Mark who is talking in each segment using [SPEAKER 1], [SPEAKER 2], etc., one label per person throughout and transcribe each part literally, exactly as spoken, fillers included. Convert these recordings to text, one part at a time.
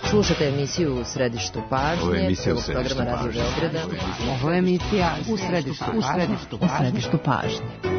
[SPEAKER 1] Slušate emisiju U središtu pažnje.
[SPEAKER 2] Ovo je emisija U
[SPEAKER 1] središtu pažnje.
[SPEAKER 3] Ovo je emisija U središtu pažnje. U središtu pažnje.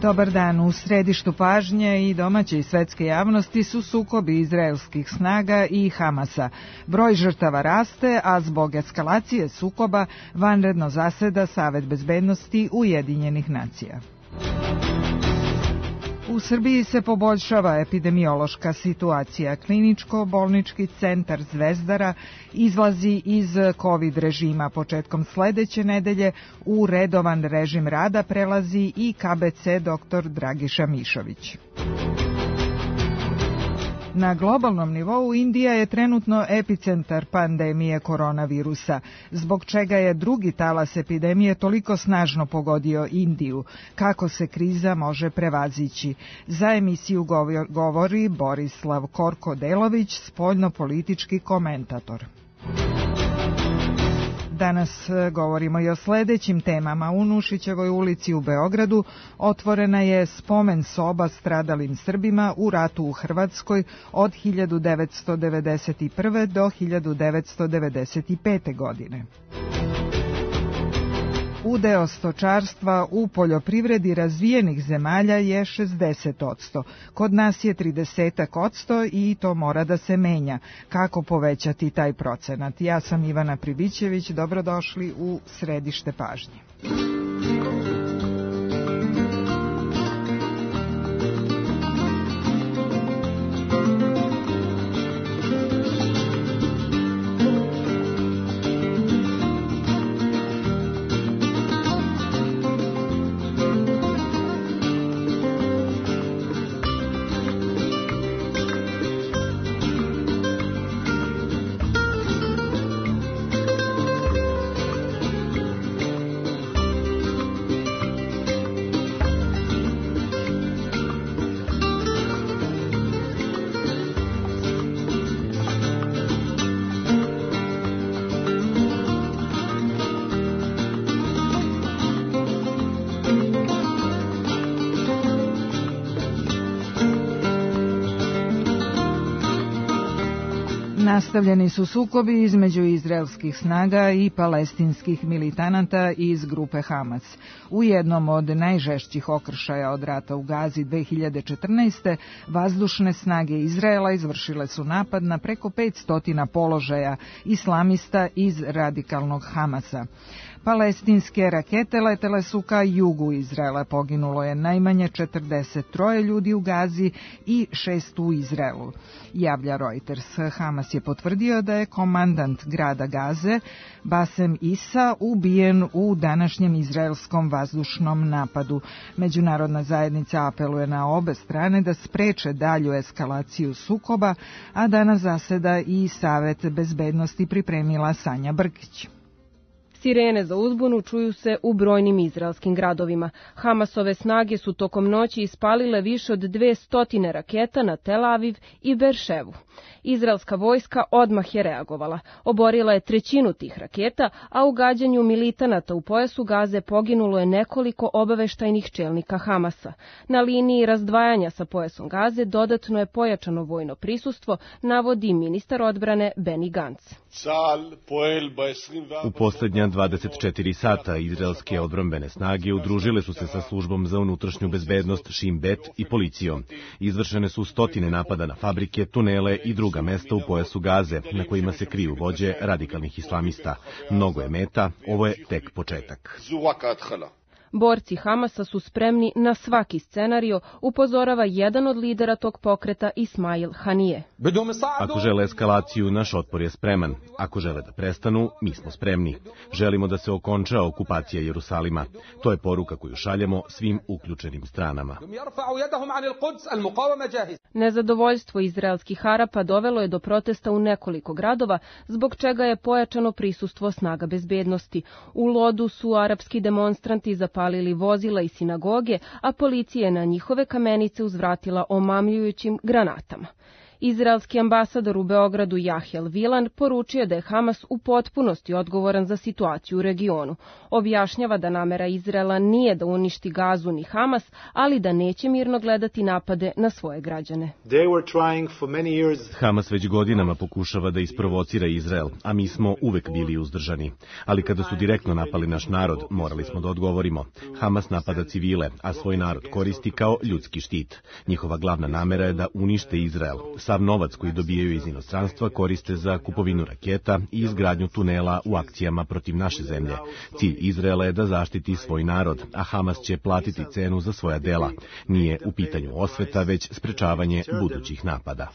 [SPEAKER 4] Dobar dan. U središtu pažnje i domaće i svetske javnosti su sukobi izraelskih snaga i Hamasa. Broj žrtava raste, a zbog eskalacije sukoba vanredno zaseda Savet bezbednosti Ujedinjenih nacija. U Srbiji se poboljšava epidemiološka situacija. Kliničko-bolnički centar Zvezdara izlazi iz COVID režima. Početkom sledeće nedelje u redovan režim rada prelazi i K B C doktor Dragiša Mišović. Na globalnom nivou Indija je trenutno epicentar pandemije koronavirusa, zbog čega je drugi talas epidemije toliko snažno pogodio Indiju. Kako se kriza može prevazići? Za emisiju govori Borislav Korko-Delović, spoljnopolitički komentator. Danas govorimo i o sledećim temama. U Nušićevoj ulici u Beogradu otvorena je spomen soba stradalim Srbima u ratu u Hrvatskoj od hiljadu devetsto devedeset prve. do hiljadu devetsto devedeset pete. godine. Udeo stočarstva u poljoprivredi razvijenih zemalja je šezdeset posto. Kod nas je trideset posto i to mora da se menja. Kako povećati taj procenat? Ja sam Ivana Pribićević, dobrodošli u središte pažnje. Nastavljeni su sukobi između izraelskih snaga i palestinskih militanata iz grupe Hamas. U jednom od najžešćih okršaja od rata u Gazi dve hiljade četrnaeste. vazdušne snage Izraela izvršile su napad na preko petsto položaja islamista iz radikalnog Hamasa. Palestinske rakete letele su ka jugu Izraela. Poginulo je najmanje četrdeset tri ljudi u Gazi i šest u Izraelu, javlja Reuters. Hamas je potvrdio da je komandant grada Gaze, Basem Isa, ubijen u današnjem izraelskom vazdušnom napadu. Međunarodna zajednica apeluje na obe strane da spreče dalju eskalaciju sukoba, a danas zaseda i Savet bezbednosti, pripremila Sanja Brkić.
[SPEAKER 5] Sirene za uzbunu čuju se u brojnim izraelskim gradovima. Hamasove snage su tokom noći ispalile više od dvesta raketa na Tel Aviv i Berševu. Izraelska vojska odmah je reagovala. Oborila je trećinu tih raketa, a u gađanju militanata u pojasu Gaze poginulo je nekoliko obaveštajnih čelnika Hamasa. Na liniji razdvajanja sa pojasom Gaze dodatno je pojačano vojno prisustvo, navodi ministar odbrane Benny Gantz.
[SPEAKER 2] U posljednja dvadeset četiri sata izraelske odbrambene snage udružile su se sa službom za unutrašnju bezbednost Shin Bet i policijom. Izvršene su stotine napada na fabrike, tunele i druga mesta u pojasu Gaze, na kojima se kriju vođe radikalnih islamista. Mnogo je meta, ovo je tek početak.
[SPEAKER 5] Borci Hamasa su spremni na svaki scenario, upozorava jedan od lidera tog pokreta Ismail Hanije.
[SPEAKER 2] Ako žele eskalaciju, naš otpor je spreman. Ako žele da prestanu, mi smo spremni. Želimo da se okonča okupacija Jerusalima. To je poruka koju šaljemo svim uključenim stranama.
[SPEAKER 5] Nezadovoljstvo izraelskih Arapa dovelo je do protesta u nekoliko gradova, zbog čega je pojačano prisustvo snaga bezbednosti. U Lodu su arapski demonstranti zapalili vozila i sinagoge, a policija je na njihove kamenice uzvratila omamljujućim granatama. Izraelski ambasador u Beogradu Jahjel Vilan poručio da je Hamas u potpunosti odgovoran za situaciju u regionu. Objašnjava da namera Izraela nije da uništi Gazu ni Hamas, ali da neće mirno gledati napade na svoje građane.
[SPEAKER 2] Hamas već godinama pokušava da isprovocira Izrael, a mi smo uvek bili uzdržani. Ali kada su direktno napali naš narod, morali smo da odgovorimo. Hamas napada civile, a svoj narod koristi kao ljudski štit. Njihova glavna namera je da unište Izrael. Sav novac koji dobijaju iz inostranstva koriste za kupovinu raketa i izgradnju tunela u akcijama protiv naše zemlje. Cilj Izraela je da zaštiti svoj narod, a Hamas će platiti cenu za svoja dela. Nije u pitanju osveta, već sprečavanje budućih napada.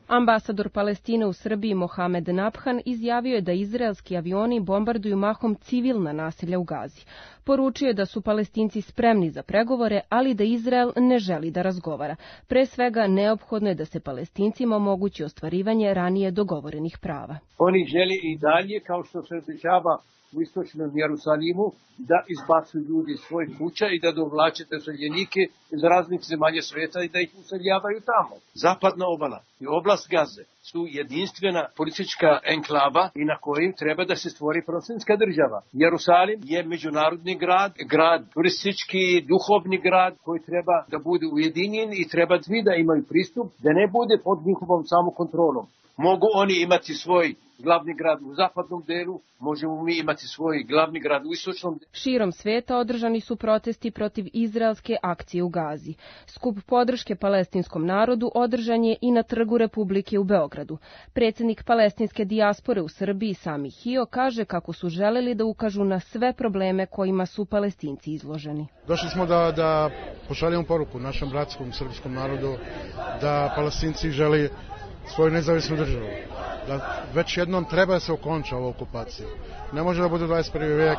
[SPEAKER 5] Ambasador Palestine u Srbiji Mohamed Nabhan izjavio je da izraelski avioni bombarduju mahom civilna naselja u Gazi. Poručio je da su Palestinci spremni za pregovore, ali da Izrael ne želi da razgovara. Pre svega, neophodno je da se Palestincima omogući ostvarivanje ranije dogovorenih prava.
[SPEAKER 6] Oni žele i dalje, kao što se dešava u istočnom Jerusalimu, da izbacuju ljudi iz svojih kuća i da dovlače doseljenike iz raznih zemalja sveta i da ih useljavaju tamo. Zapadna obala i oblast Gaze su jedinstvena politička enklava i na kojim treba da se stvori palestinska država. Jerusalim je međunarodni grad, grad turistički, duhovni grad koji treba da bude ujedinjen i treba svi da imaju pristup, da ne bude pod njihovom samokontrolom. Mogu oni imati svoj glavni grad u zapadnom delu, možemo mi imati svoj glavni grad u istočnom delu.
[SPEAKER 5] Širom sveta održani su protesti protiv izraelske akcije u Gazi. Skup podrške palestinskom narodu održan je i na Trgu Republike u Beogradu. Predsjednik palestinske dijaspore u Srbiji Sami Hio kaže kako su želeli da ukažu na sve probleme kojima su Palestinci izloženi.
[SPEAKER 7] Došli smo da, da pošaljemo poruku našem bratskom srpskom narodu da Palestinci želi svoju nezavisnu državu. Da već jednom treba da se okonča ova okupacija. Ne može da bude dvadeset prvi vijek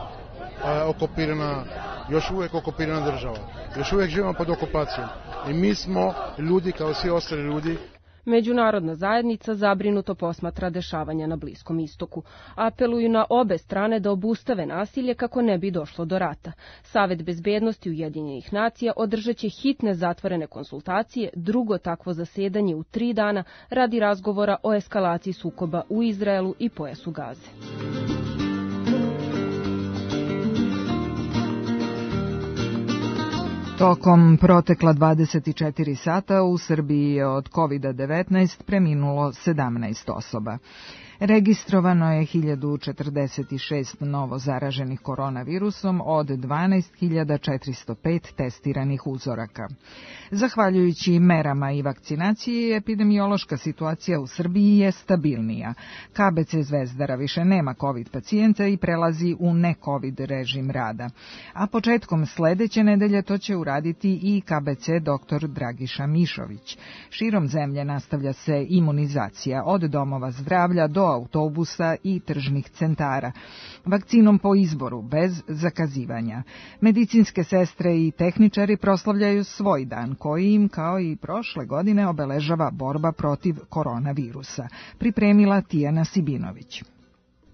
[SPEAKER 7] a, okupirana, još uvijek okupirana država. Još uvijek živimo pod okupacijom. I mi smo ljudi kao svi ostali ljudi.
[SPEAKER 5] Međunarodna zajednica zabrinuto posmatra dešavanja na Bliskom istoku. Apeluju na obe strane da obustave nasilje kako ne bi došlo do rata. Savet bezbednosti Ujedinjenih nacija održat će hitne zatvorene konsultacije, drugo takvo zasedanje u tri dana radi razgovora o eskalaciji sukoba u Izraelu i pojasu Gaze.
[SPEAKER 4] Tokom protekla dvadeset četiri sata u Srbiji je od kovid devetnaest preminulo sedamnaest osoba. Registrovano je hiljadu četrdeset šest novo zaraženih koronavirusom od dvanaest hiljada četiristo pet testiranih uzoraka. Zahvaljujući merama i vakcinaciji, epidemiološka situacija u Srbiji je stabilnija. K B C Zvezdara više nema COVID pacijenta i prelazi u ne-COVID režim rada. A početkom sledeće nedelje to će uraditi i K B C doktor Dragiša Mišović. Širom zemlje nastavlja se imunizacija od domova zdravlja do autobusa i tržnih centara, vakcinom po izboru, bez zakazivanja. Medicinske sestre i tehničari proslavljaju svoj dan, koji im, kao i prošle godine, obeležava borba protiv koronavirusa, pripremila Tijana Sibinović.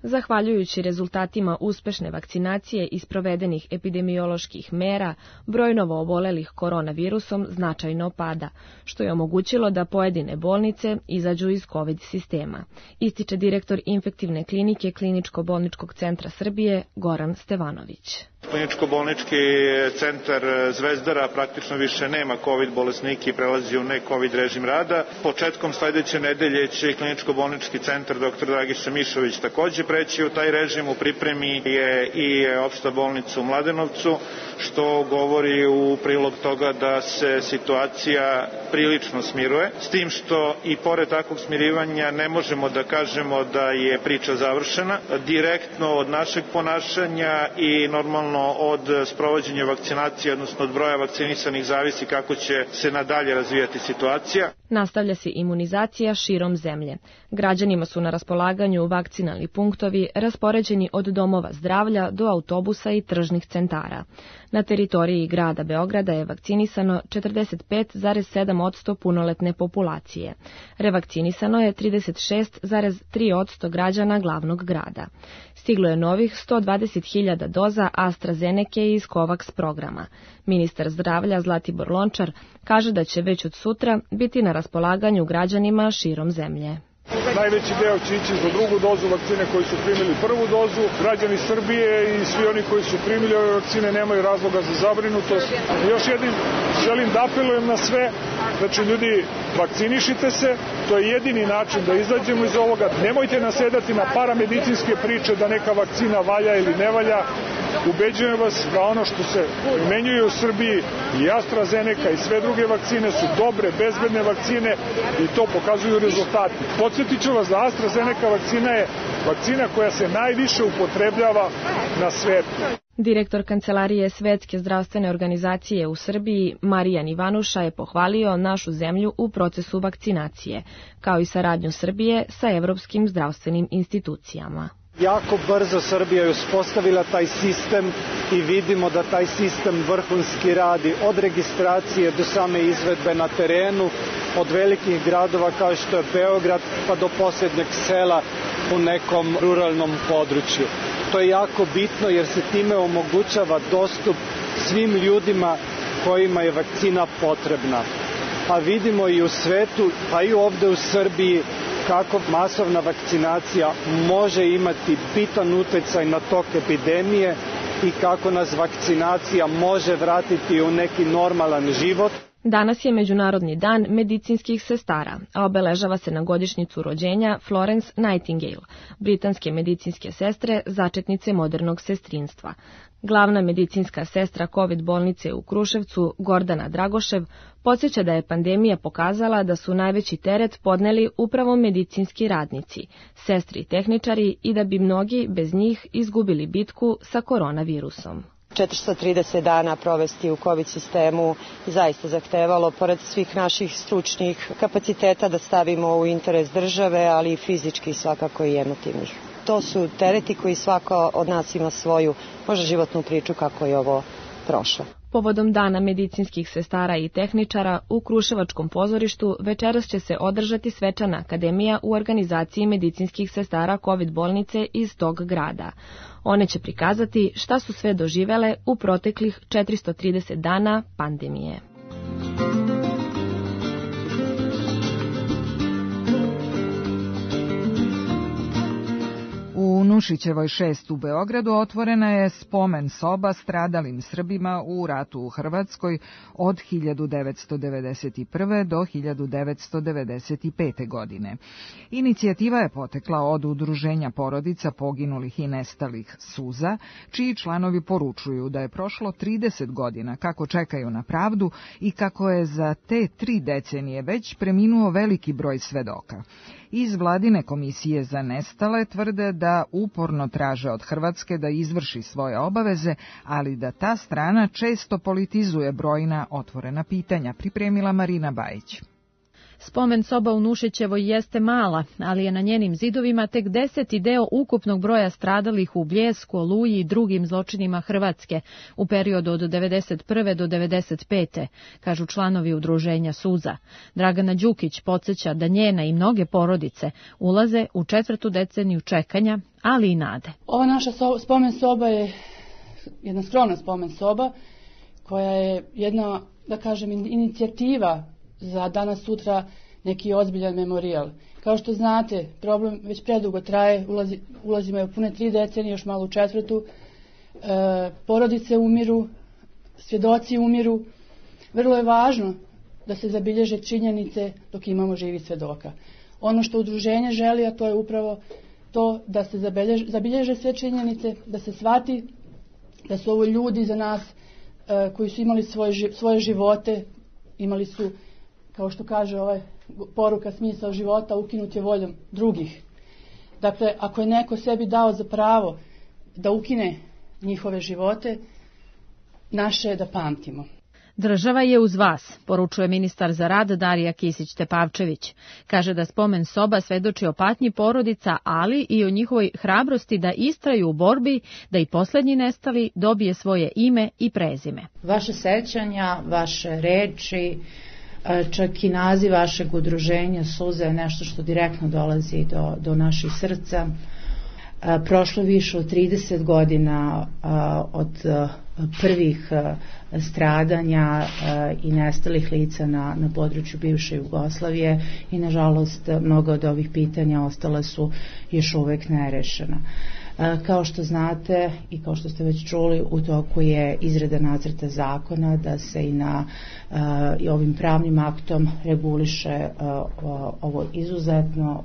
[SPEAKER 8] Zahvaljujući rezultatima uspešne vakcinacije i sprovedenih epidemioloških mera, broj novoobolelih koronavirusom značajno pada, što je omogućilo da pojedine bolnice izađu iz COVID sistema, ističe direktor infektivne klinike Kliničko-bolničkog centra Srbije Goran Stevanović.
[SPEAKER 9] Kliničko-bolnički centar Zvezdara praktično više nema COVID bolesnike i prelazi u ne-COVID režim rada. Početkom sledeće nedelje će Kliničko-bolnički centar doktor Dragiša Mišović takođe preći u taj režim. U pripremi je i opšta bolnica u Mladenovcu, što govori u prilog toga da se situacija prilično smiruje. S tim što i pored takvog smirivanja ne možemo da kažemo da je priča završena. Direktno od našeg ponašanja i normalno realno od sprovođenja vakcinacije, odnosno od broja vakcinisanih, zavisi kako će se nadalje razvijati situacija.
[SPEAKER 8] Nastavlja se imunizacija širom zemlje. Građanima su na raspolaganju vakcinalni punktovi raspoređeni od domova zdravlja do autobusa i tržnih centara. Na teritoriji grada Beograda je vakcinisano četrdeset pet zarez sedam posto punoletne populacije. Revakcinisano je trideset šest zarez tri posto građana glavnog grada. Stiglo je novih sto dvadeset hiljada doza AstraZeneke iz COVAX programa. Ministar zdravlja Zlatibor Lončar kaže da će već od sutra biti na raspolaganju građanima širom zemlje.
[SPEAKER 10] Najveći deo će ići za drugu dozu vakcine koji su primili prvu dozu. Građani Srbije i svi oni koji su primili ove vakcine nemaju razloga za zabrinutost. Još jednim želim da apelujem na sve, znači ljudi, vakcinišite se, to je jedini način da izađemo iz ovoga. Nemojte nasedati na paramedicinske priče da neka vakcina valja ili ne valja. Ubeđujem vas da ono što se primenjuje u Srbiji i AstraZeneca i sve druge vakcine su dobre, bezbedne vakcine i to pokazuju rezultati. Podsjetit ću vas da AstraZeneca vakcina je vakcina koja se najviše upotrebljava na svetu.
[SPEAKER 8] Direktor Kancelarije Svetske zdravstvene organizacije u Srbiji, Marijan Ivanuša, je pohvalio našu zemlju u procesu vakcinacije, kao i saradnju Srbije sa evropskim zdravstvenim institucijama.
[SPEAKER 11] Jako brzo Srbija je uspostavila taj sistem i vidimo da taj sistem vrhunski radi od registracije do same izvedbe na terenu, od velikih gradova kao što je Beograd pa do posljednjeg sela u nekom ruralnom području. To je jako bitno jer se time omogućava dostup svim ljudima kojima je vakcina potrebna. A vidimo i u svetu, pa i ovde u Srbiji, kako masovna vakcinacija može imati bitan uticaj na tok epidemije i kako nas vakcinacija može vratiti u neki normalan život.
[SPEAKER 8] Danas je Međunarodni dan medicinskih sestara, a obeležava se na godišnjicu rođenja Florence Nightingale, britanske medicinske sestre, začetnice modernog sestrinstva. Glavna medicinska sestra COVID bolnice u Kruševcu, Gordana Dragošev, podsjeća da je pandemija pokazala da su najveći teret podneli upravo medicinski radnici, sestri i tehničari i da bi mnogi bez njih izgubili bitku sa koronavirusom.
[SPEAKER 12] četiristo trideset dana provesti u COVID sistemu zaista zahtevalo, pored svih naših stručnih kapaciteta, da stavimo u interes države, ali i fizički svakako i emotivnih. To su tereti koji svako od nas ima svoju, možda životnu priču kako je ovo prošlo.
[SPEAKER 8] Povodom Dana medicinskih sestara i tehničara u Kruševačkom pozorištu večeras će se održati svečana akademija u organizaciji medicinskih sestara COVID bolnice iz tog grada. One će prikazati šta su sve doživele u proteklih četiristo trideset dana pandemije.
[SPEAKER 4] U Nušićevoj šest u Beogradu otvorena je spomen soba stradalim Srbima u ratu u Hrvatskoj od hiljadu devetsto devedeset prve. do hiljadu devetsto devedeset pete. godine. Inicijativa je potekla od Udruženja porodica poginulih i nestalih Suza, čiji članovi poručuju da je prošlo trideset godina kako čekaju na pravdu i kako je za te tri decenije već preminuo veliki broj svedoka. Iz vladine komisije za nestale tvrde da uporno traže od Hrvatske da izvrši svoje obaveze, ali da ta strana često politizuje brojna otvorena pitanja, pripremila Marina Bajić.
[SPEAKER 13] Spomen soba u Nušićevoj jeste mala, ali je na njenim zidovima tek deseti deo ukupnog broja stradalih u Bljesku, Oluji i drugim zločinima Hrvatske u periodu od devedeset prve. do devedeset pete. kažu članovi udruženja Suza. Dragana Đukić podsjeća da njena i mnoge porodice ulaze u četvrtu deceniju čekanja, ali i nade.
[SPEAKER 14] Ova naša so, spomen soba je jedna skromna spomen soba koja je jedna, da kažem, inicijativa za danas sutra neki ozbiljan memorijal. Kao što znate, problem već predugo traje, ulazi, ulazimo u pune tri decenije, još malo u četvrtu, e, porodice umiru, svjedoci umiru. Vrlo je važno da se zabilježe činjenice dok imamo živi svedoka. Ono što udruženje želi, a to je upravo to da se zabilježe, zabilježe sve činjenice, da se shvati da su ovo ljudi za nas e, koji su imali svoje, svoje živote, imali su, kao što kaže ovaj poruka, smisao života ukinut je voljom drugih. Dakle, ako je neko sebi dao za pravo da ukine njihove živote, naše je da pamtimo.
[SPEAKER 13] Država je uz vas, poručuje ministar za rad Darija Kisić-Tepavčević. Kaže da spomen soba svedoči o patnji porodica, ali i o njihovoj hrabrosti da istraju u borbi, da i poslednji nestali dobije svoje ime i prezime.
[SPEAKER 15] Vaše sećanja, vaše reči, čak i naziv vašeg udruženja Suze je nešto što direktno dolazi do, do naših srca. Prošlo više od trideset godina od prvih stradanja i nestalih lica na, na području bivše Jugoslavije i nažalost mnogo od ovih pitanja ostala su još uvek nerešena. Kao što znate i kao što ste već čuli, u toku je izrada nacrta zakona da se i na i ovim pravnim aktom reguliše ovo izuzetno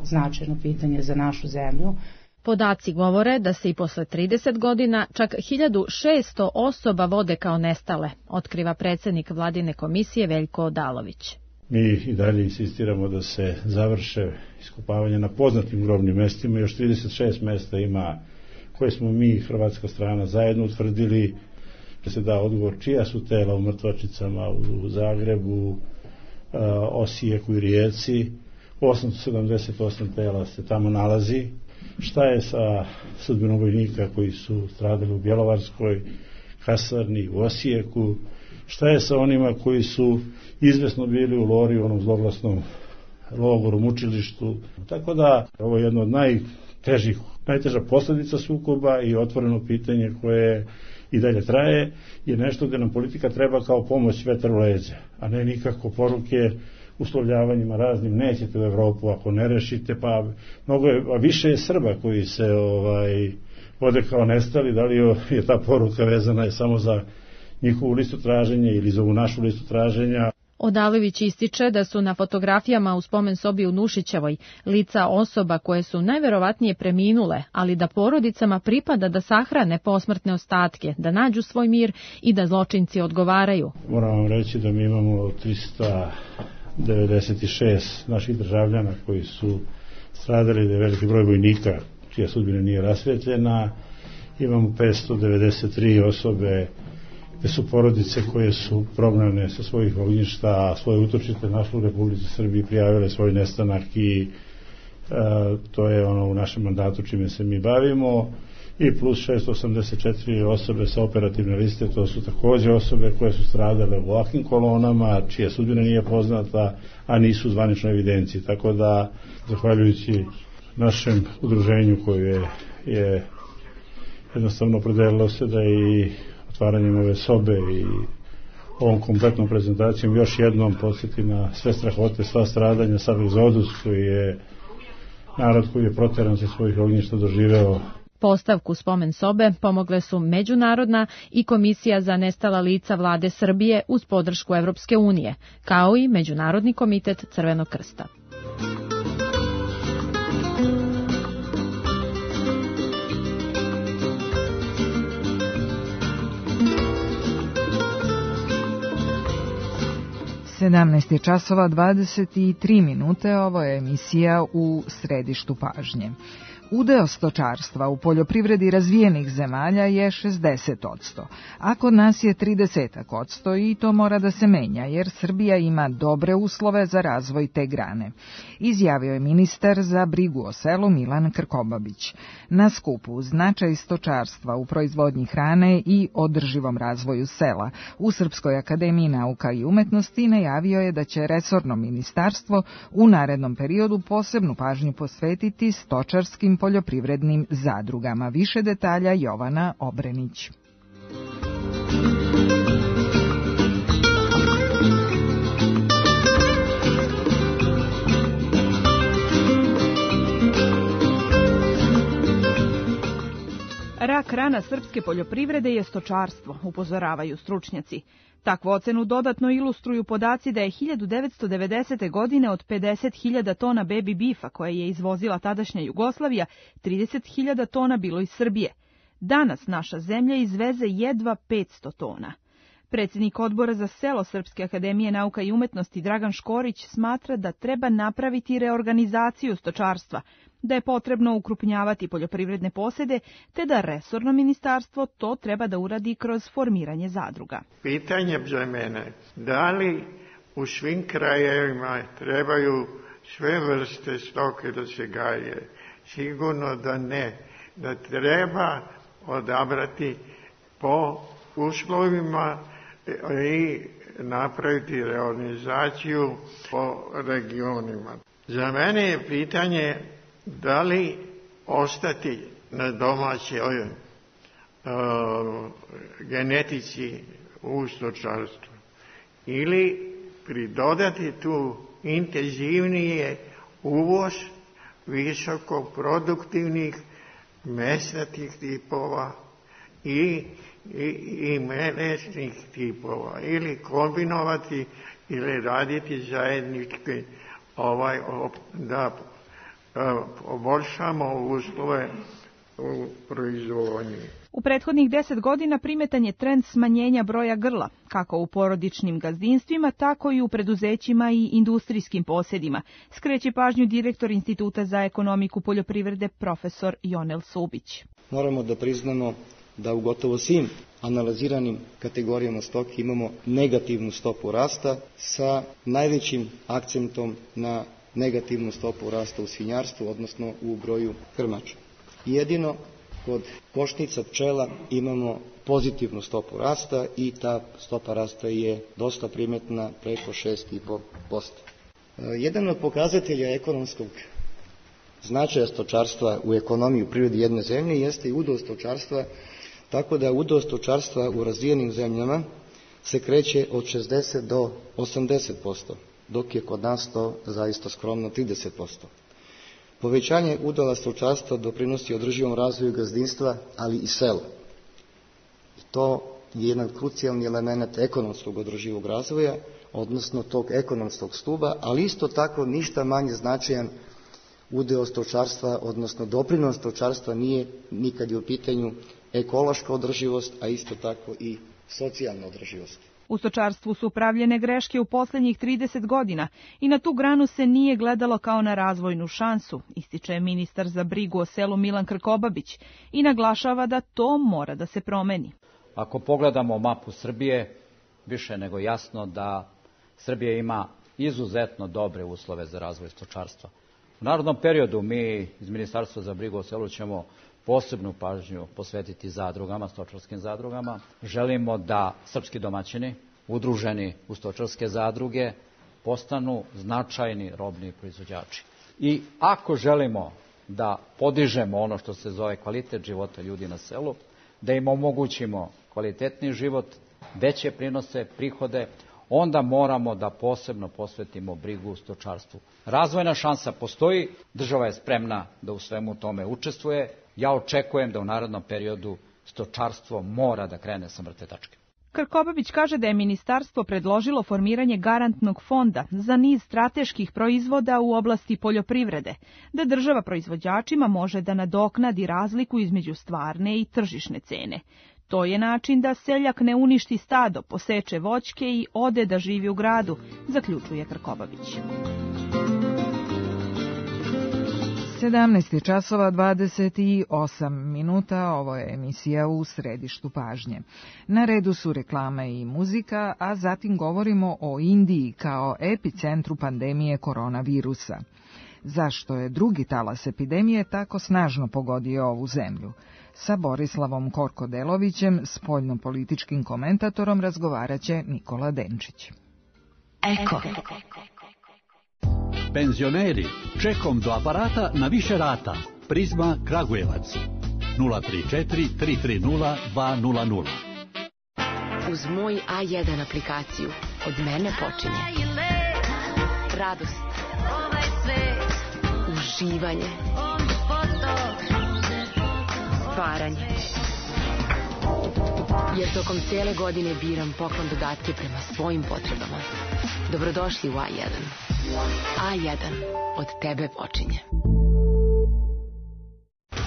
[SPEAKER 15] značajno pitanje za našu zemlju.
[SPEAKER 13] Podaci govore da se i posle trideset godina čak hiljadu šesto osoba vode kao nestale, otkriva predsjednik vladine komisije Veljko Odalović.
[SPEAKER 16] Mi i dalje insistiramo da se završe iskopavanje na poznatim grobnim mestima. Još trideset šest mesta ima koje smo mi, hrvatska strana, zajedno utvrdili, da se da odgovor čija su tela u mrtvačnicama u Zagrebu, Osijeku i Rijeci. osamsto sedamdeset osam tela se tamo nalazi. Šta je sa sudbinom vojnika koji su stradali u Bjelovarskoj kasarni, u Osijeku? Šta je sa onima koji su izvesno bili u Lori, u onom zloglasnom logoru, mučilištu? Tako da ovo je jedno od najtežih, najteža posljedica sukoba i otvoreno pitanje koje i dalje traje je nešto gdje nam politika treba kao pomoć vetar u leđa, a ne nikako poruke uslovljavanjima raznim, nećete u Evropu ako ne rešite, pa mnogo je, a više je Srba koji se ovaj vode kao nestali. Da li je ta poruka vezana je samo za njihovu listu traženja ili za ovu našu listu traženja?
[SPEAKER 13] Odalović ističe da su na fotografijama u spomen sobi u Nušićevoj lica osoba koje su najverovatnije preminule, ali da porodicama pripada da sahrane posmrtne ostatke, da nađu svoj mir i da zločinci odgovaraju.
[SPEAKER 16] Moram vam reći da mi imamo trista devedeset šest naših državljana koji su stradali, da je veliki broj vojnika čija sudbina nije rasvetljena. Imamo petsto devedeset tri osobe gde su porodice koje su prognane sa svojih ognjišta, svoje utočište našle u Republici Srbiji, prijavile svoj nestanak i e, to je ono u našem mandatu čime se mi bavimo. I plus šesto osamdeset četiri osobe sa operativne liste, to su također osobe koje su stradale u ovakvim kolonama, čija sudbina nije poznata, a nisu u zvaničnoj evidenciji. Tako da, zahvaljujući našem udruženju koje je, je jednostavno opredelilo se da i otvaranjem ove sobe i ovom kompletnom prezentacijom još jednom podsjeti na sve strahote, sva stradanja, sav egzodus koji je narod koji je proteran sa svojih ognjišta doživeo.
[SPEAKER 13] Postavku spomen sobe pomogle su Međunarodna i Komisija za nestala lica vlade Srbije uz podršku Evropske unije, kao i Međunarodni komitet Crvenog krsta.
[SPEAKER 4] sedamnaest je časova dvadeset tri minute, ovo je emisija U središtu pažnje. Udeo stočarstva u poljoprivredi razvijenih zemalja je šezdeset posto, a kod nas je trideset posto i to mora da se menja jer Srbija ima dobre uslove za razvoj te grane, izjavio je ministar za brigu o selu Milan Krkobabić. Na skupu Značaj stočarstva u proizvodnji hrane i održivom razvoju sela u Srpskoj akademiji nauka i umetnosti najavio je da će resorno ministarstvo u narednom periodu posebnu pažnju posvetiti stočarskim poljoprivrednim zadrugama. Više detalja Jovana Obrenić.
[SPEAKER 17] Rak rana srpske poljoprivrede je stočarstvo, upozoravaju stručnjaci. Takvu ocenu dodatno ilustruju podaci da je hiljadu devetsto devedesete. godine od pedeset hiljada tona baby beefa koje je izvozila tadašnja Jugoslavija, trideset hiljada tona bilo iz Srbije. Danas naša zemlja izveze jedva petsto tona. Predsjednik odbora za selo Srpske akademije nauka i umetnosti Dragan Škorić smatra da treba napraviti reorganizaciju stočarstva, da je potrebno ukrupnjavati poljoprivredne posede, te da resorno ministarstvo to treba da uradi kroz formiranje zadruga.
[SPEAKER 18] Pitanje za mene, da li u svim krajevima trebaju sve vrste stoke da se gaje? Sigurno da ne. Da treba odabrati po uslovima i napraviti reorganizaciju po regionima. Za mene je pitanje da li ostati na domaćoj uh, genetici u stočarstvu ili pridodati tu intenzivnije uvoz visoko produktivnih mesnatih tipova i, i, i melečnih tipova ili kombinovati ili raditi zajednički ovaj, da poboljšamo uslove u proizvodnji.
[SPEAKER 17] U prethodnih deset godina primetan je trend smanjenja broja grla, kako u porodičnim gazdinstvima, tako i u preduzećima i industrijskim posjedima, skreće pažnju direktor Instituta za ekonomiku poljoprivrede profesor Jonel Subić.
[SPEAKER 19] Moramo da priznamo da u gotovo svim analiziranim kategorijama stoke imamo negativnu stopu rasta sa najvećim akcentom na negativnu stopu rasta u svinjarstvu, odnosno u broju krmača. Jedino kod košnica pčela imamo pozitivnu stopu rasta i ta stopa rasta je dosta primetna, preko šest zarez pet posto. Jedan od pokazatelja ekonomskog značaja stočarstva u ekonomiji u prirodi jedne zemlje jeste i udeo stočarstva, tako da udeo stočarstva u razvijenim zemljama se kreće od šezdeset do osamdeset posto, dok je kod nas to zaista skromno trideset posto. Povećanje udela stočarstva doprinosi održivom razvoju gazdinstva, ali i sela. I to je jedan krucijalni element ekonomskog održivog razvoja, odnosno tog ekonomskog stuba, ali isto tako ništa manje značajan udeo stočarstva, odnosno doprinos stočarstva nije nikad je u pitanju ekološka održivost, a isto tako i socijalna održivost.
[SPEAKER 17] U stočarstvu su pravljene greške u posljednjih trideset godina i na tu granu se nije gledalo kao na razvojnu šansu, ističe ministar za brigu o selu Milan Krkobabić i naglašava da to mora da se promeni.
[SPEAKER 20] Ako pogledamo mapu Srbije, više nego jasno da Srbija ima izuzetno dobre uslove za razvoj stočarstva. U narodnom periodu mi iz Ministarstva za brigu o selu ćemo posebnu pažnju posvetiti zadrugama, stočarskim zadrugama. Želimo da srpski domaćini, udruženi u stočarske zadruge, postanu značajni robni proizvođači. I ako želimo da podižemo ono što se zove kvalitet života ljudi na selu, da im omogućimo kvalitetni život, veće prinose, prihode, onda moramo da posebno posvetimo brigu u stočarstvu. Razvojna šansa postoji, država je spremna da u svemu tome učestvuje. Ja očekujem da u narednom periodu stočarstvo mora da krene sa mrtve tačke.
[SPEAKER 17] Krkobabić kaže da je ministarstvo predložilo formiranje garantnog fonda za niz strateških proizvoda u oblasti poljoprivrede, da država proizvođačima može da nadoknadi razliku između stvarne i tržišne cene. To je način da seljak ne uništi stado, poseče voćke i ode da živi u gradu, zaključuje Krkobabić.
[SPEAKER 4] sedamnaest časova dvadeset osam minuta, ovo je emisija U središtu pažnje. Na redu su reklame i muzika, a zatim govorimo o Indiji kao epicentru pandemije koronavirusa. Zašto je drugi talas epidemije tako snažno pogodio ovu zemlju? Sa Borislavom Korkodelovićem, spoljnopolitičkim komentatorom, razgovaraće Nikola Denčić.
[SPEAKER 21] Eko. Penzioneri, čekom do aparata na više rata. Prizma Kragujevac. nula tri četiri tri tri nula dva nula nula.
[SPEAKER 1] Uz moj A jedan aplikaciju od mene počinje radost, uživanje, stvaranje. Jer tokom cijele godine biram poklon dodatke prema svojim potrebama. Dobrodošli u A jedan. A jedan. Od tebe počinje.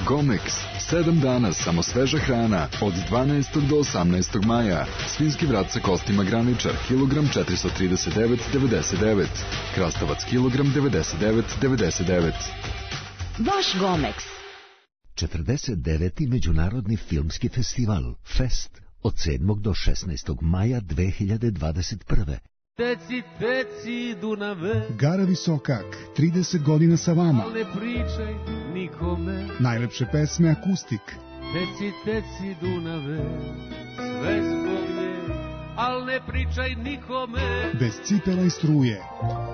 [SPEAKER 22] Gomex. Sedam dana samo sveža hrana. Od dvanaestog do osamnaestog maja. Svinjski vrat sa kostima graničar. Kilogram četiristo trideset devet zarez devedeset devet. Krastavac kilogram devedeset devet zarez devedeset devet.
[SPEAKER 1] Vaš Gomex.
[SPEAKER 2] četrdeset deveti Međunarodni filmski festival Fest od sedmog do šesnaestog maja dve hiljade dvadeset prve.
[SPEAKER 3] Teci, teci, Dunave.
[SPEAKER 23] Gara Visokak, trideset godina sa vama.
[SPEAKER 3] Al ne pričaj nikome.
[SPEAKER 23] Najlepše pesme akustik.
[SPEAKER 3] Teci, teci, Dunave, sve zbog nje, al ne pričaj nikome.
[SPEAKER 23] Bez cipela i struje.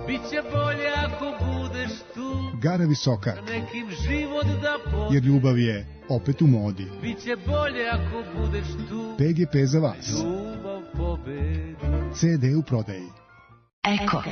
[SPEAKER 3] Biće bolje ako budeš tu.
[SPEAKER 23] Gara Visokak.
[SPEAKER 3] Nekim život da pobedi.
[SPEAKER 23] Jer ljubav je opet u modi.
[SPEAKER 3] Biće bolje ako budeš tu.
[SPEAKER 23] P G P za vas.
[SPEAKER 3] Ljubav pobedi.
[SPEAKER 23] C D u prodaji.
[SPEAKER 1] Eko.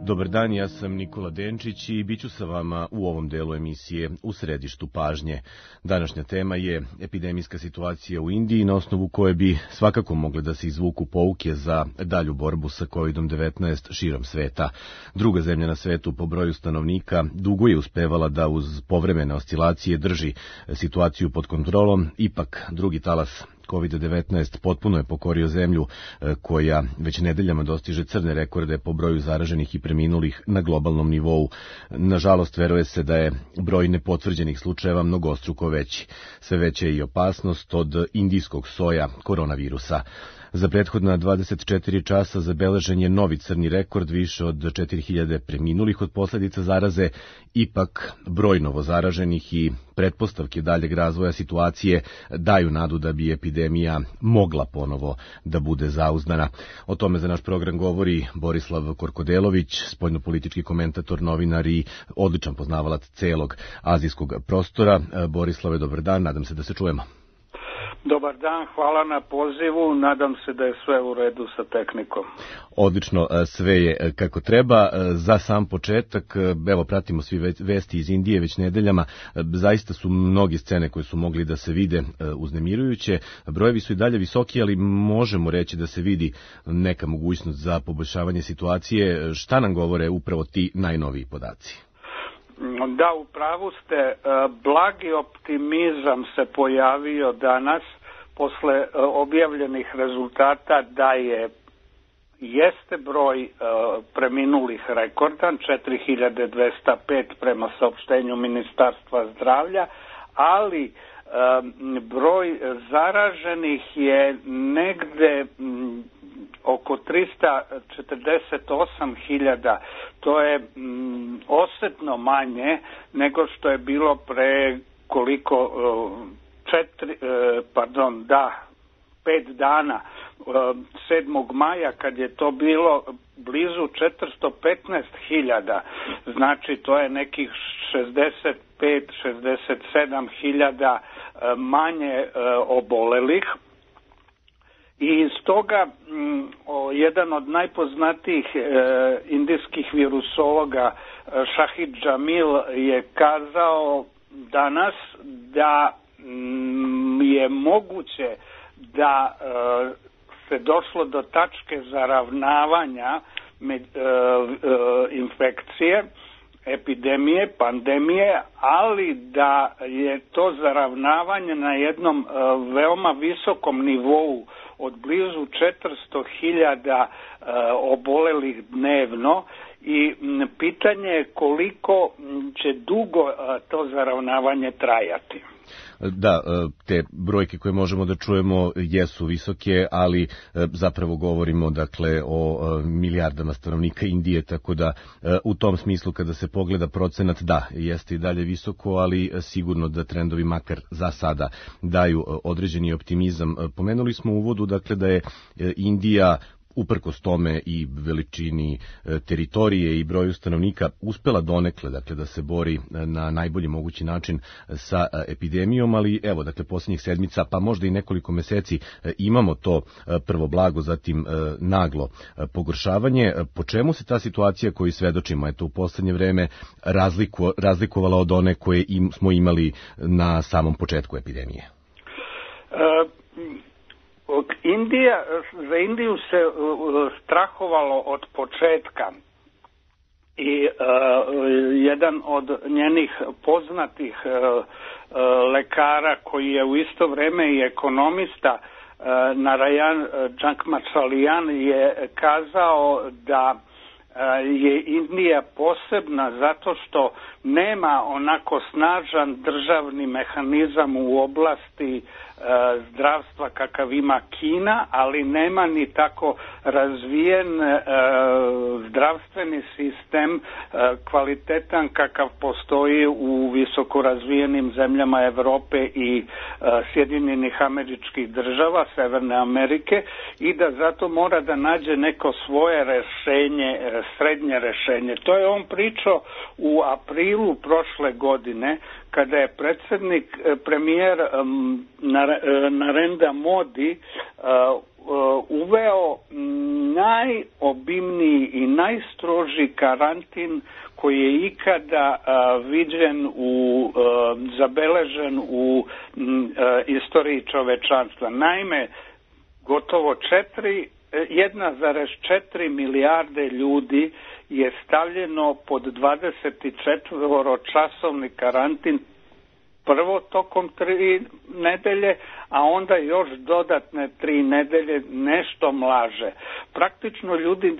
[SPEAKER 24] Dobar dan, ja sam Nikola Denčić i bit ću sa vama u ovom delu emisije U središtu pažnje. Današnja tema je epidemijska situacija u Indiji, na osnovu koje bi svakako mogle da se izvuku pouke za dalju borbu sa kovid devetnaest širom sveta. Druga zemlja na svetu po broju stanovnika dugo je uspevala da uz povremene oscilacije drži situaciju pod kontrolom, ipak drugi talas kovid devetnaest potpuno je pokorio zemlju koja već nedeljama dostiže crne rekorde po broju zaraženih i preminulih na globalnom nivou. Nažalost, veruje se da je broj nepotvrđenih slučajeva mnogostruko veći. Sve veća je i opasnost od indijskog soja koronavirusa. Za prethodna dvadeset četiri časa zabeležen je novi crni rekord, više od četiri hiljade preminulih od posljedica zaraze, ipak broj novozaraženih i pretpostavke daljeg razvoja situacije daju nadu da bi epidemija mogla ponovo da bude zauzdana. O tome za naš program govori Borislav Korkodelović, spoljnopolitički komentator, novinar i odličan poznavalac celog azijskog prostora. Borislave, dobar dan, nadam se da se čujemo.
[SPEAKER 5] Dobar dan, hvala na pozivu, nadam se da je sve u redu sa tehnikom.
[SPEAKER 24] Odlično, sve je kako treba. Za sam početak, evo pratimo svi vesti iz Indije već nedeljama, zaista su mnogi scene koje su mogli da se vide uznemirujuće. Brojevi su i dalje visoki, ali možemo reći da se vidi neka mogućnost za poboljšavanje situacije. Šta nam govore upravo ti najnoviji podaci?
[SPEAKER 5] Da, u pravu ste, blagi optimizam se pojavio danas posle objavljenih rezultata da je jeste broj preminulih rekordan, četiri hiljade dvesta pet prema saopštenju Ministarstva zdravlja, ali broj zaraženih je negde oko tristo četrdeset osam hiljada, to je mm, osetno manje nego što je bilo pre koliko, četiri, pardon, da, pet dana, sedmog maja, kad je to bilo blizu četiristo petnaest hiljada, znači to je nekih šezdeset pet šezdeset sedam hiljada manje obolelih. I stoga m, o, jedan od najpoznatijih e, indijskih virusologa Shahid Jamil je kazao danas da m, je moguće da e, se došlo do tačke zaravnavanja med, e, e, infekcije, epidemije, pandemije, ali da je to zaravnavanje na jednom e, veoma visokom nivou od blizu četiristo hiljada e, obolelih dnevno i m, pitanje je koliko će dugo e, to zaravnavanje trajati.
[SPEAKER 24] Da, te brojke koje možemo da čujemo jesu visoke, ali zapravo govorimo dakle o milijardama stanovnika Indije, tako da u tom smislu kada se pogleda procenat, da, jeste i dalje visoko, ali sigurno da trendovi makar za sada daju određeni optimizam. Pomenuli smo u uvodu dakle da je Indija uprkos tome i veličini teritorije i broju stanovnika uspela donekle dakle da se bori na najbolji mogući način sa epidemijom, ali evo dakle posljednjih sedmica pa možda i nekoliko meseci imamo to prvo blago, zatim naglo pogoršavanje. Po čemu se ta situacija koju svedočimo eto u poslednje vreme razliku, razlikovala od one koje im, smo imali na samom početku epidemije?
[SPEAKER 5] Uh... Indija, za Indiju se uh, strahovalo od početka i uh, jedan od njenih poznatih uh, uh, lekara koji je u isto vreme i ekonomista, uh, Narayan Jankmachalian, je kazao da je Indija posebna zato što nema onako snažan državni mehanizam u oblasti e, zdravstva kakav ima Kina, ali nema ni tako razvijen e, zdravstveni sistem e, kvalitetan kakav postoji u visoko razvijenim zemljama Evrope i e, Sjedinjenih Američkih Država, Severne Amerike, i da zato mora da nađe neko svoje rešenje, srednje rešenje. To je on pričao u aprilu prošle godine, kada je predsjednik, premijer Narendra Modi uveo najobimniji i najstroži karantin koji je ikada viđen, u, zabeležen u istoriji čovečanstva. Naime, gotovo četiri jedna zarez četiri milijarde ljudi je stavljeno pod dvadeset četiri časovni karantin, prvo tokom tri nedelje, a onda još dodatne tri nedelje nešto mlaže. Praktično ljudi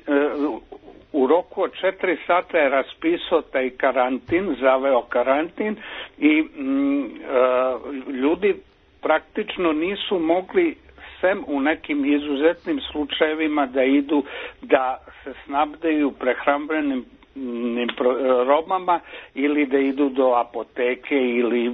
[SPEAKER 5] u roku od četiri sata je raspisao taj karantin, zaveo karantin i mm, ljudi praktično nisu mogli, sem u nekim izuzetnim slučajevima, da idu da se snabdeju prehrambenim robama ili da idu do apoteke ili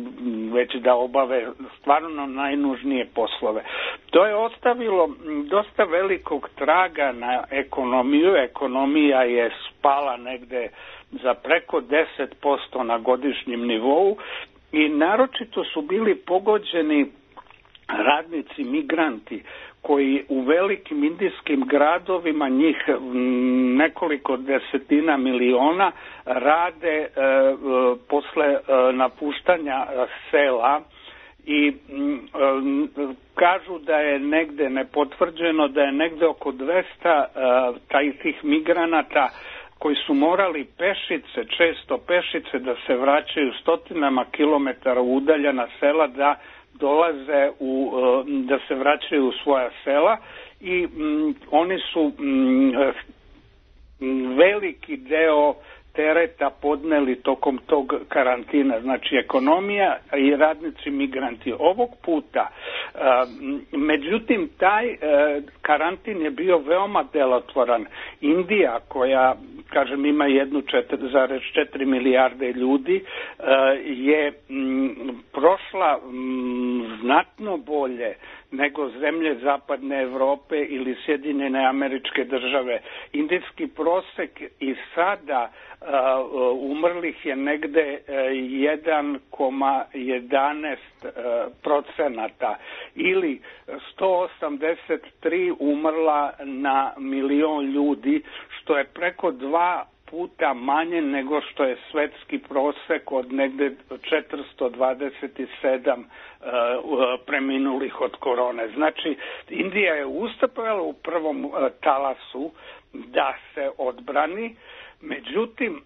[SPEAKER 5] već da obave stvarno najnužnije poslove. To je ostavilo dosta velikog traga na ekonomiju. Ekonomija je spala negde za preko deset posto na godišnjem nivou i naročito su bili pogođeni radnici, migranti, koji u velikim indijskim gradovima, njih nekoliko desetina miliona, rade e, posle e, napuštanja sela i e, kažu da je negde nepotvrđeno da je negde oko dvesta e, taj tih migranata koji su morali pešice, često pešice, da se vraćaju stotinama kilometara udaljena sela da dolaze u, da se vraćaju u svoja sela i m, oni su m, veliki deo tereta podneli tokom tog karantina. Znači ekonomija i radnici migranti. Ovog puta, međutim, taj karantin je bio veoma delotvoran. Indija, koja, kažem, ima jednu zarez četiri milijarde ljudi, je prošla znatno bolje nego zemlje zapadne Evrope ili Sjedinjene Američke Države. Indijski prosek i sada uh, umrlih je negde uh, jedan zarez jedanaest procenata ili sto osamdeset tri umrla na milion ljudi, što je preko dva puta manje nego što je svetski prosek od negde četiristo dvadeset sedam uh, preminulih od korone. Znači, Indija je uspela u prvom uh, talasu da se odbrani, međutim,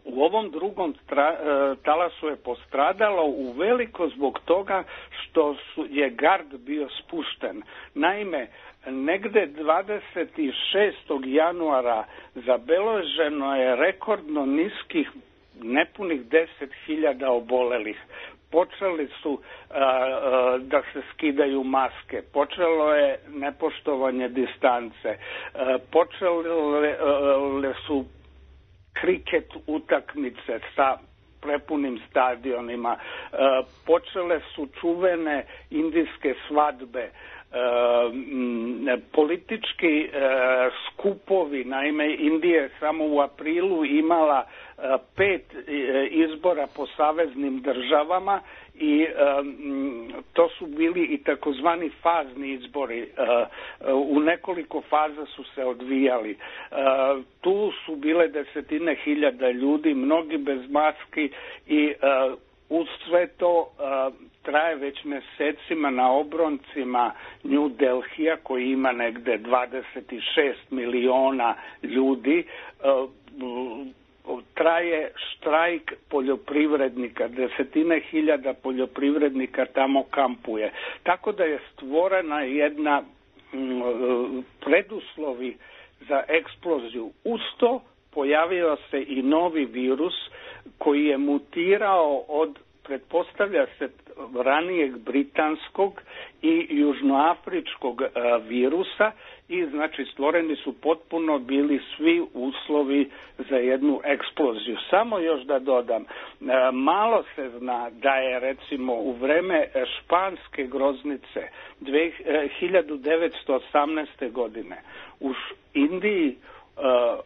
[SPEAKER 5] u ovom drugom tra, uh, talasu je postradalo u veliko zbog toga što su, je gard bio spušten. Naime, negde dvadeset šestog januara zabeleženo je rekordno niskih, nepunih deset hiljada obolelih. Počeli su a, a, da se skidaju maske, počelo je nepoštovanje distance, a, počele a, su kriket utakmice sa prepunim stadionima, a, počele su čuvene indijske svadbe, E, politički e, skupovi. Naime, Indija je samo u aprilu imala e, pet e, izbora po saveznim državama i e, to su bili i takozvani fazni izbori. E, u nekoliko faza su se odvijali. E, tu su bile desetine hiljada ljudi, mnogi bez maski i e, uz sve to uh, traje već mesecima na obroncima New Delhija, koji ima negde dvadeset šest miliona ljudi, uh, traje štrajk poljoprivrednika, desetine hiljada poljoprivrednika tamo kampuje. Tako da je stvorena jedna um, preduslovi za eksploziju. Uz to pojavio se i novi virus koji je mutirao od, pretpostavlja se, ranijeg britanskog i južnoafričkog a, virusa i znači stvoreni su potpuno bili svi uslovi za jednu eksploziju. Samo još da dodam, a, malo se zna da je recimo u vreme španske groznice dve, a, hiljadu devetsto osamnaeste. godine u Indiji a,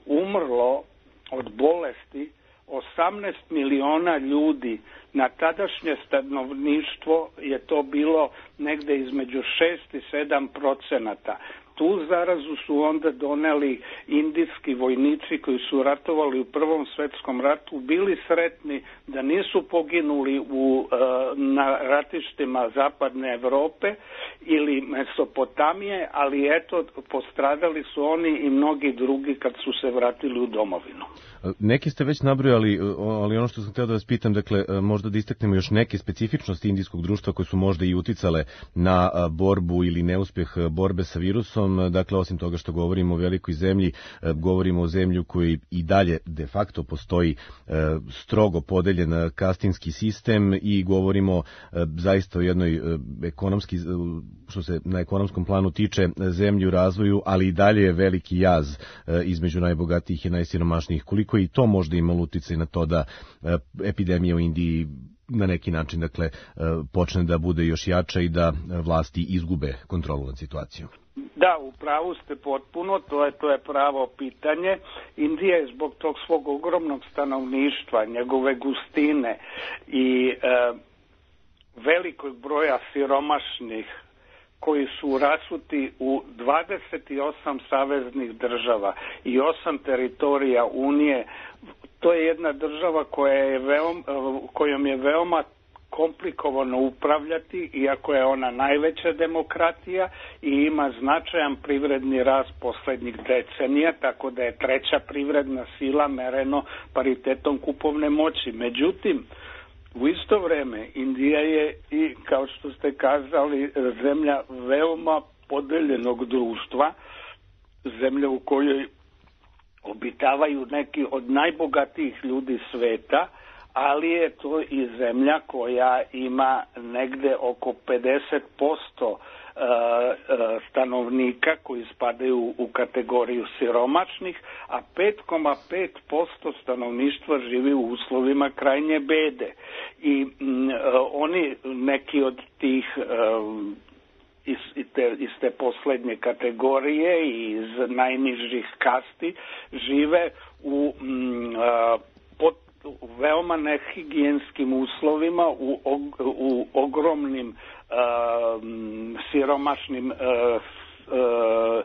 [SPEAKER 5] umrlo od bolesti osamnaest miliona ljudi. Na tadašnje stanovništvo je to bilo negde između šest i sedam procenata. Tu zarazu su onda doneli indijski vojnici koji su ratovali u Prvom svetskom ratu, bili sretni da nisu poginuli u, na ratištima zapadne Evrope ili Mesopotamije, ali eto, postradali su oni i mnogi drugi kad su se vratili u domovinu.
[SPEAKER 24] Neki ste već nabrojali, ali ono što sam htio da vas pitam, dakle, možda da istaknemo još neke specifičnosti indijskog društva koje su možda i uticale na borbu ili neuspjeh borbe sa virusom. Dakle, osim toga što govorimo o velikoj zemlji, govorimo o zemlji koji i dalje de facto postoji strogo podeljen kastinski sistem i govorimo zaista o jednoj ekonomski, što se na ekonomskom planu tiče, zemlji u razvoju, ali i dalje je veliki jaz između najbogatijih i najsiromašnijih. Koliko i to možda imalo uticaj na to da epidemija u Indiji na neki način, dakle, počne da bude još jača i da vlasti izgube kontrolu nad situacijom?
[SPEAKER 5] Da, u pravu ste potpuno, to je, to je pravo pitanje. Indija je zbog tog svog ogromnog stanovništva, njegove gustine i e, velikog broja siromašnih koji su rasuti u dvadeset osam saveznih država i osam teritorija Unije. To je jedna država koja je veoma, kojom je veoma komplikovano upravljati, iako je ona najveća demokratija i ima značajan privredni rast poslednjih decenija, tako da je treća privredna sila mereno paritetom kupovne moći. Međutim, u isto vreme Indija je i, kao što ste kazali, zemlja veoma podeljenog društva, zemlja u kojoj obitavaju neki od najbogatijih ljudi sveta, ali je to i zemlja koja ima negde oko pedeset posto stanovnika koji spadaju u kategoriju siromašnih, a pet zarez pet posto stanovništva živi u uslovima krajnje bede. I m, oni, neki od tih um, iz, iz, te, iz te poslednje kategorije i iz najnižih kasti žive u m, a, pod u veoma nehigijenskim uslovima, u, u ogromnim uh, siromašnim uh, uh,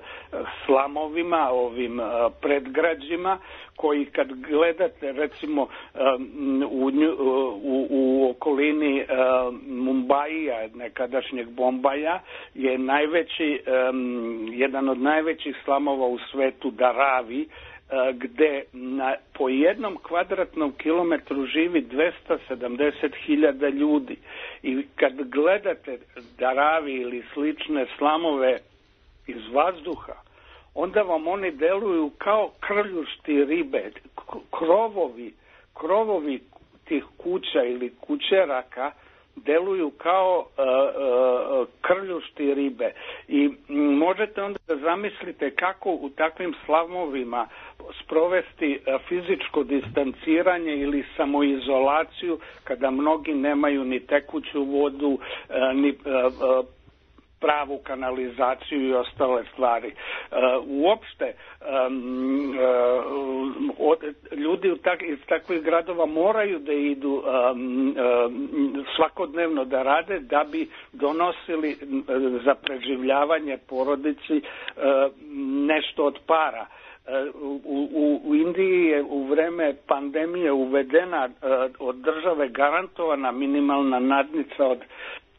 [SPEAKER 5] slamovima, ovim uh, predgrađima, koji kad gledate recimo um, u, u, u okolini uh, Mumbaija, nekadašnjeg Bombaja, je najveći, um, jedan od najvećih slamova u svetu Dharavi, gde na, po jednom kvadratnom kilometru živi dvesta sedamdeset hiljada ljudi. I kad gledate Dharavi ili slične slamove iz vazduha, onda vam oni deluju kao krljušti ribe, krovovi, krovovi tih kuća ili kućeraka deluju kao uh, uh, krljušti ribe. I možete onda da zamislite kako u takvim slamovima sprovesti uh, fizičko distanciranje ili samoizolaciju kada mnogi nemaju ni tekuću vodu, uh, ni uh, uh, pravu kanalizaciju i ostale stvari. Uh, uopšte um, uh, od, ljudi u tak, iz takvih gradova moraju da idu um, um, svakodnevno da rade da bi donosili uh, za preživljavanje porodici uh, nešto od para. U, u, u Indiji je u vreme pandemije uvedena uh, od države garantovana minimalna nadnica od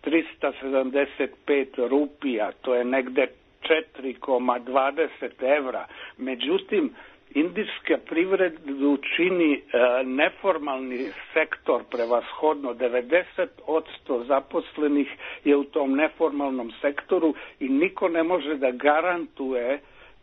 [SPEAKER 5] trista sedamdeset pet rupija, to je negde četiri zarez dvadeset evra. Međutim, indijska privredu čini e, neformalni sektor prevashodno. devedeset posto zaposlenih je u tom neformalnom sektoru i niko ne može da garantuje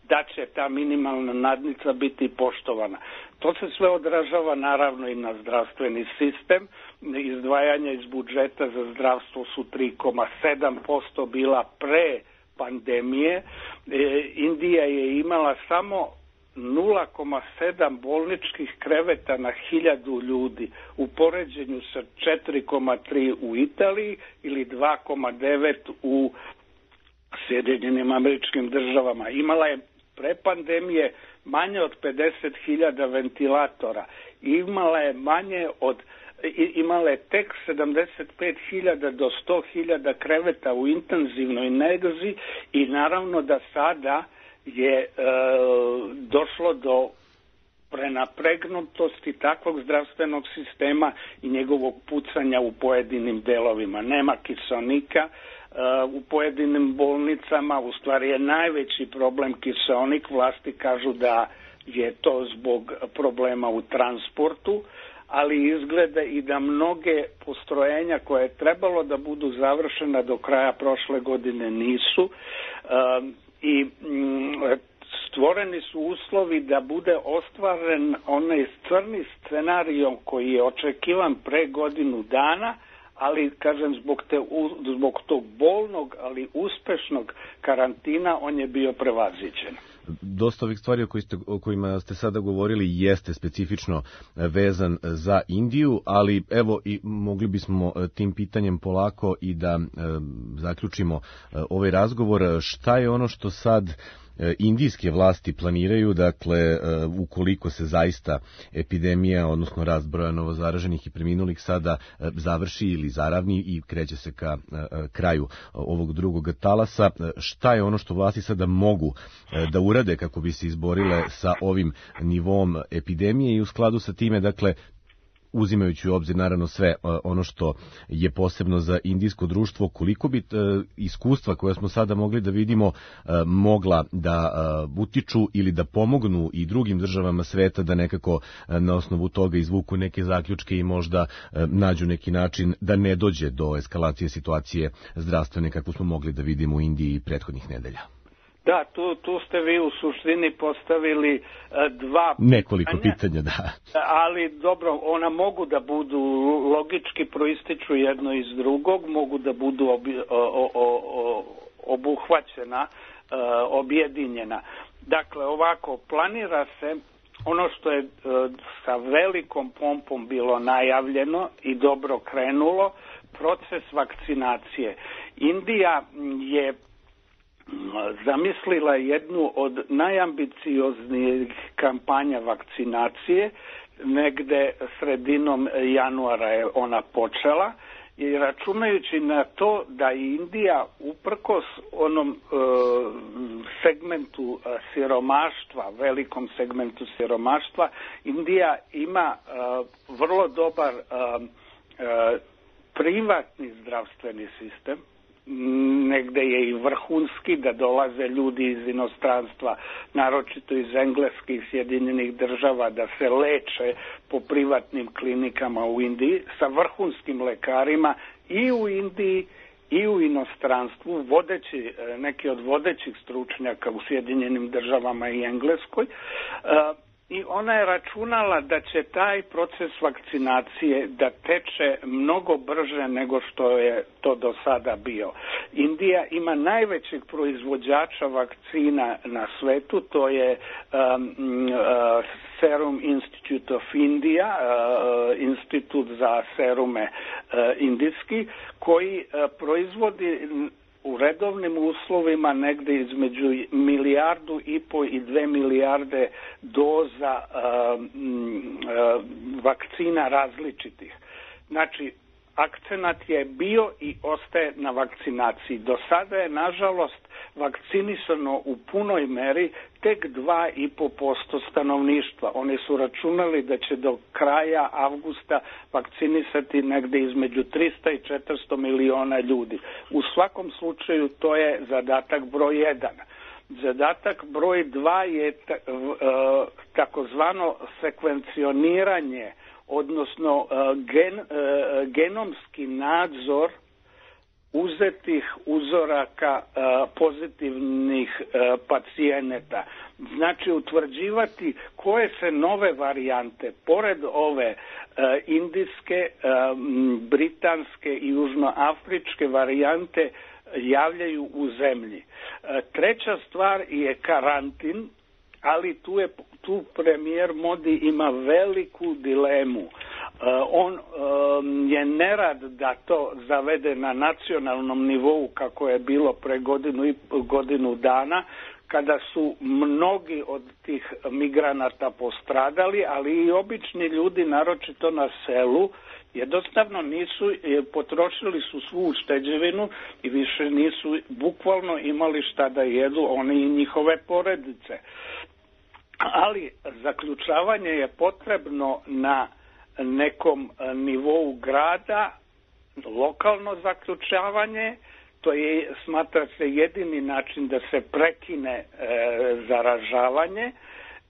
[SPEAKER 5] da će ta minimalna nadnica biti poštovana. To se sve odražava naravno i na zdravstveni sistem. Izdvajanja iz budžeta za zdravstvo su tri zarez sedam posto bila pre pandemije. E, Indija je imala samo nula zarez sedam bolničkih kreveta na hiljadu ljudi u poređenju sa četiri zarez tri u Italiji ili dva zarez devet u Sjedinjenim Američkim Državama. Imala je pre pandemije manje od pedeset hiljada ventilatora. Imala je manje od imala je tek sedamdeset pet hiljada do sto hiljada kreveta u intenzivnoj nezi i naravno da sada je e, došlo do prenapregnutosti takvog zdravstvenog sistema i njegovog pucanja u pojedinim delovima. Nema kiseonika uh, u pojedinim bolnicama, u stvari je najveći problem kiseonik. Vlasti kažu da je to zbog problema u transportu, ali izgleda i da mnoge postrojenja koje je trebalo da budu završena do kraja prošle godine nisu uh, i mm, stvoreni su uslovi da bude ostvaren onaj crni scenarijom koji je očekivan pre godinu dana, ali kažem zbog, te, zbog tog bolnog, ali uspešnog karantina on je bio prevaziđen.
[SPEAKER 24] Dosta ovih stvari o, koji ste, o kojima ste sada govorili jeste specifično vezan za Indiju, ali evo i mogli bismo tim pitanjem polako i da e, zaključimo e, ovaj razgovor. Šta je ono što sad indijske vlasti planiraju, dakle, ukoliko se zaista epidemija, odnosno rast broja novozaraženih i preminulih sada završi ili zaravni i kreće se ka kraju ovog drugog talasa, šta je ono što vlasti sada mogu da urade kako bi se izborile sa ovim nivom epidemije i u skladu sa time, dakle, uzimajući u obzir naravno sve ono što je posebno za indijsko društvo, koliko bi iskustva koje smo sada mogli da vidimo mogla da utiču ili da pomognu i drugim državama sveta da nekako na osnovu toga izvuku neke zaključke i možda nađu neki način da ne dođe do eskalacije situacije zdravstvene kakvu smo mogli da vidimo u Indiji prethodnih nedelja.
[SPEAKER 5] Da, tu, tu ste vi u suštini postavili uh, dva
[SPEAKER 24] nekoliko
[SPEAKER 5] pitanja,
[SPEAKER 24] pitanja, da.
[SPEAKER 5] Ali dobro, ona mogu da budu logički proističu jedno iz drugog, mogu da budu obi, o, o, o, obuhvaćena, uh, objedinjena. Dakle, ovako, planira se ono što je uh, sa velikom pompom bilo najavljeno i dobro krenulo, proces vakcinacije. Indija je zamislila jednu od najambicioznijih kampanja vakcinacije, negde sredinom januara je ona počela i računajući na to da Indija uprkos onom e, segmentu siromaštva, velikom segmentu siromaštva, Indija ima e, vrlo dobar e, e, privatni zdravstveni sistem, negde je i vrhunski, da dolaze ljudi iz inostranstva, naročito iz engleskih Sjedinjenih država, da se leče po privatnim klinikama u Indiji sa vrhunskim lekarima i u Indiji i u inostranstvu, vodeći, neki od vodećih stručnjaka u Sjedinjenim državama i Engleskoj. I ona je računala da će taj proces vakcinacije da teče mnogo brže nego što je to do sada bio. Indija ima najvećeg proizvođača vakcina na svetu, to je um, uh, Serum Institute of India, uh, institut za serume uh, indijski, koji uh, proizvodi u redovnim uslovima negde između milijardu i po i dve milijarde doza uh, uh, vakcina različitih. Znači, akcenat je bio i ostaje na vakcinaciji. Do sada je, nažalost, vakcinisano u punoj meri tek dva i po posto stanovništva. Oni su računali da će do kraja avgusta vakcinisati negde između trista i četiristo miliona ljudi. U svakom slučaju to je zadatak broj jedan. Zadatak broj dva je takozvano sekvencioniranje, odnosno gen, genomski nadzor uzetih uzoraka pozitivnih pacijenata. Znači utvrđivati koje se nove varijante, pored ove indijske, britanske i južnoafričke varijante, javljaju u zemlji. Treća stvar je karantin, ali tu je tu premijer Modi ima veliku dilemu. Uh, on um, je nerad da to zavede na nacionalnom nivou kako je bilo pre godinu i godinu dana, kada su mnogi od tih migranata postradali, ali i obični ljudi, naročito na selu, jednostavno nisu, potrošili su svu ušteđevinu i više nisu bukvalno imali šta da jedu, oni i njihove porodice. Ali zaključavanje je potrebno na nekom nivou grada, lokalno zaključavanje, to je, smatra se, jedini način da se prekine e, zaražavanje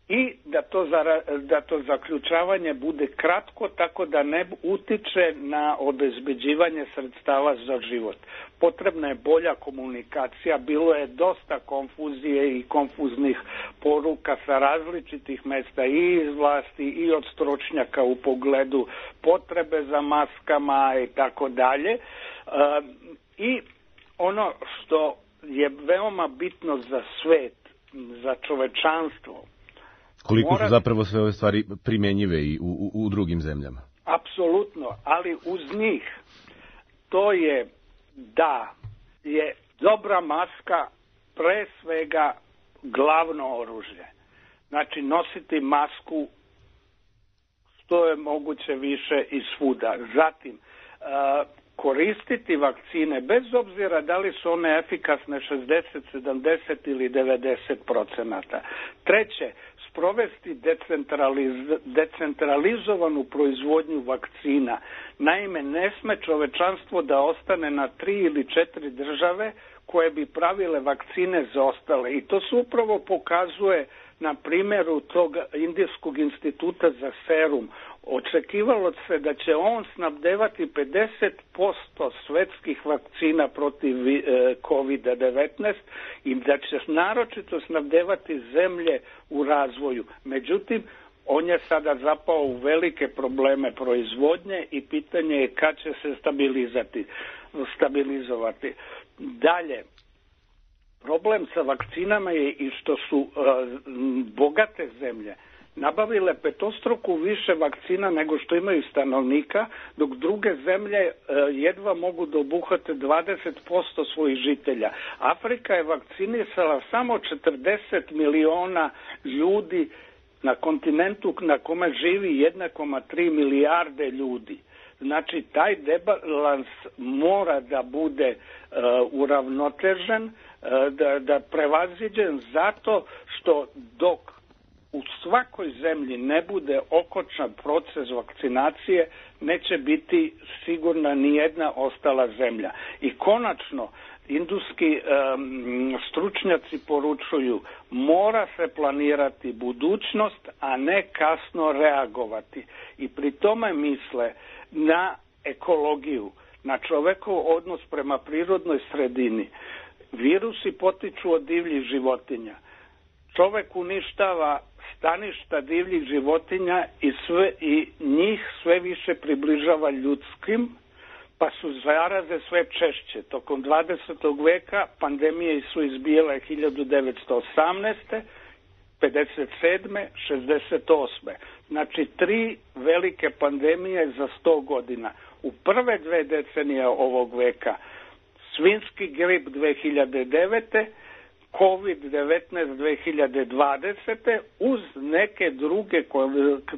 [SPEAKER 5] i da to, zara, da to zaključavanje bude kratko, tako da ne utiče na obezbeđivanje sredstava za život. Potrebna je bolja komunikacija, bilo je dosta konfuzije i konfuznih poruka sa različitih mesta i iz vlasti i od stručnjaka u pogledu potrebe za maskama i tako dalje. I ono što je veoma bitno za svet, za čovečanstvo,
[SPEAKER 24] koliko su zapravo sve ove stvari primjenjive i u, u, u drugim zemljama?
[SPEAKER 5] Apsolutno, ali uz njih to je da je dobra maska pre svega glavno oružje. Znači, nositi masku što je moguće više i svuda. Zatim, koristiti vakcine, bez obzira da li su one efikasne šezdeset, sedamdeset ili devedeset procenata. Treće, sprovesti decentraliz, decentralizovanu proizvodnju vakcina. Naime, ne sme čovečanstvo da ostane na tri ili četiri države koje bi pravile vakcine za ostale. I to se upravo pokazuje na primjeru tog Indijskog instituta za serum. Očekivalo se da će on snabdevati pedeset posto svetskih vakcina protiv kovid devetnaest i da će naročito snabdevati zemlje u razvoju. Međutim, on je sada zapao u velike probleme proizvodnje i pitanje je kad će se stabilizati, stabilizovati. Dalje, problem sa vakcinama je i što su uh, bogate zemlje nabavile petostruku više vakcina nego što imaju stanovnika, dok druge zemlje uh, jedva mogu da obuhvate dvadeset posto svojih žitelja. Afrika je vakcinisala samo četrdeset miliona ljudi na kontinentu na kome živi jedna zarez tri milijarde ljudi. Znači, taj debalans mora da bude uh, uravnotežen, uh, da, da prevaziđen zato što dok u svakoj zemlji ne bude okončan proces vakcinacije, neće biti sigurna ni jedna ostala zemlja. I konačno, indijski um, stručnjaci poručuju, mora se planirati budućnost, a ne kasno reagovati. I pri tome misle na ekologiju, na čovekov odnos prema prirodnoj sredini. Virusi potiču od divljih životinja. Čovek uništava staništa divljih životinja i, sve, i njih sve više približava ljudskim, pa su zaraze sve češće. Tokom dvadesetog veka pandemije su izbijale hiljadu devetsto osamnaeste, pedeset sedme, šezdeset osme. Znači, tri velike pandemije za sto godina. U prve dve decenije ovog veka, svinjski grip dve hiljade devete, kovid devetnaest dve hiljade dvadesete, uz neke druge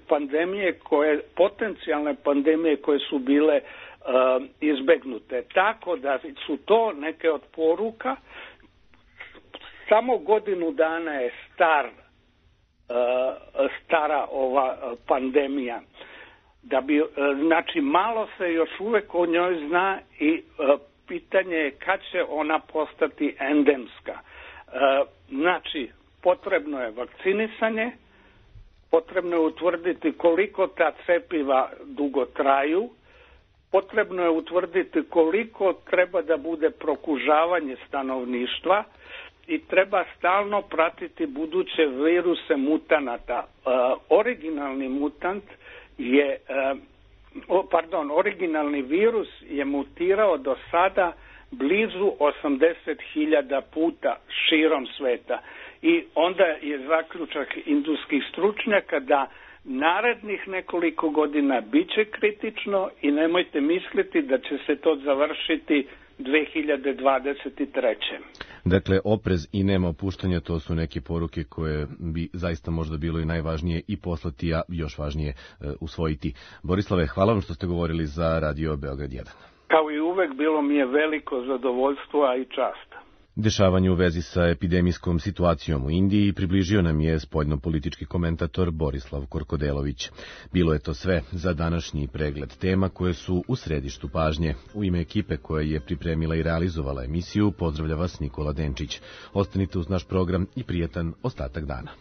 [SPEAKER 5] pandemije, koje, potencijalne pandemije koje su bile uh, izbegnute. Tako da su to neke od poruka. Samo godinu dana je star stara ova pandemija. Da bi, znači, malo se još uvek o njoj zna i pitanje je kad će ona postati endemska. Znači, potrebno je vakcinisanje, potrebno je utvrditi koliko ta cepiva dugo traju, potrebno je utvrditi koliko treba da bude prokužavanje stanovništva, i treba stalno pratiti buduće viruse mutanata. Uh, originalni mutant je, uh, pardon, originalni virus je mutirao do sada blizu osamdeset hiljada puta širom sveta. I onda je zaključak indijskih stručnjaka da narednih nekoliko godina biće kritično i nemojte misliti da će se to završiti dve hiljade dvadeset treće.
[SPEAKER 24] Dakle, oprez i nema opuštanja, to su neke poruke koje bi zaista možda bilo i najvažnije i poslati, a još važnije e, usvojiti. Borislave, hvala vam što ste govorili za Radio Beograd jedan.
[SPEAKER 5] Kao i uvek, bilo mi je veliko zadovoljstvo, a i čast.
[SPEAKER 24] Dešavanje u vezi sa epidemijskom situacijom u Indiji približio nam je spoljno-politički komentator Borislav Korkodelović. Bilo je to sve za današnji pregled tema koje su u središtu pažnje. U ime ekipe koja je pripremila i realizovala emisiju, pozdravlja vas Nikola Denčić. Ostanite uz naš program i prijetan ostatak dana.